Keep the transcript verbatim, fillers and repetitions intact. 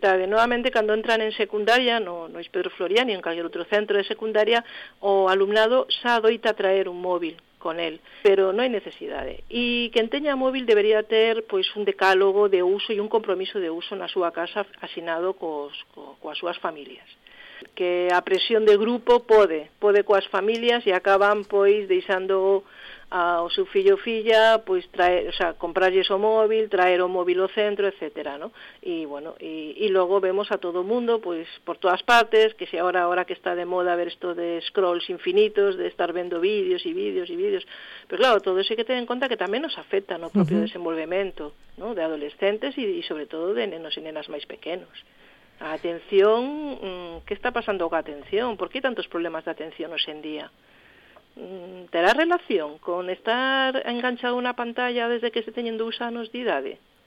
Novamente, cando entran en secundaria, no, no Pedro Floriani, en calquer outro centro de secundaria, o alumnado xa adoita traer un móvil con el, pero non hai necesidade. E quen teña móvil debería ter pois un decálogo de uso e un compromiso de uso na súa casa asinado cos, co, coas súas familias. Que a presión de grupo pode, pode coas familias e acaban pois deixando ao seu fillo ou filla, pois traer, o sea, comprarlles o móvil, traer o móvil ao centro, etcétera, ¿no? E bueno, e, e logo vemos a todo o mundo, pois por todas partes, que se agora ahora que está de moda ver isto de scrolls infinitos, de estar vendo vídeos e vídeos e vídeos, pero claro, todo eso hai que ter en conta que tamén nos afecta no propio uh-huh. desenvolvemento, ¿no? De adolescentes e, e sobre todo de nenos e nenas máis pequenos. A atención, que está pasando coa atención? Por que tantos problemas de atención hoxe en día? Terá relación con estar enganchado na pantalla desde que se teñen dous anos de idade?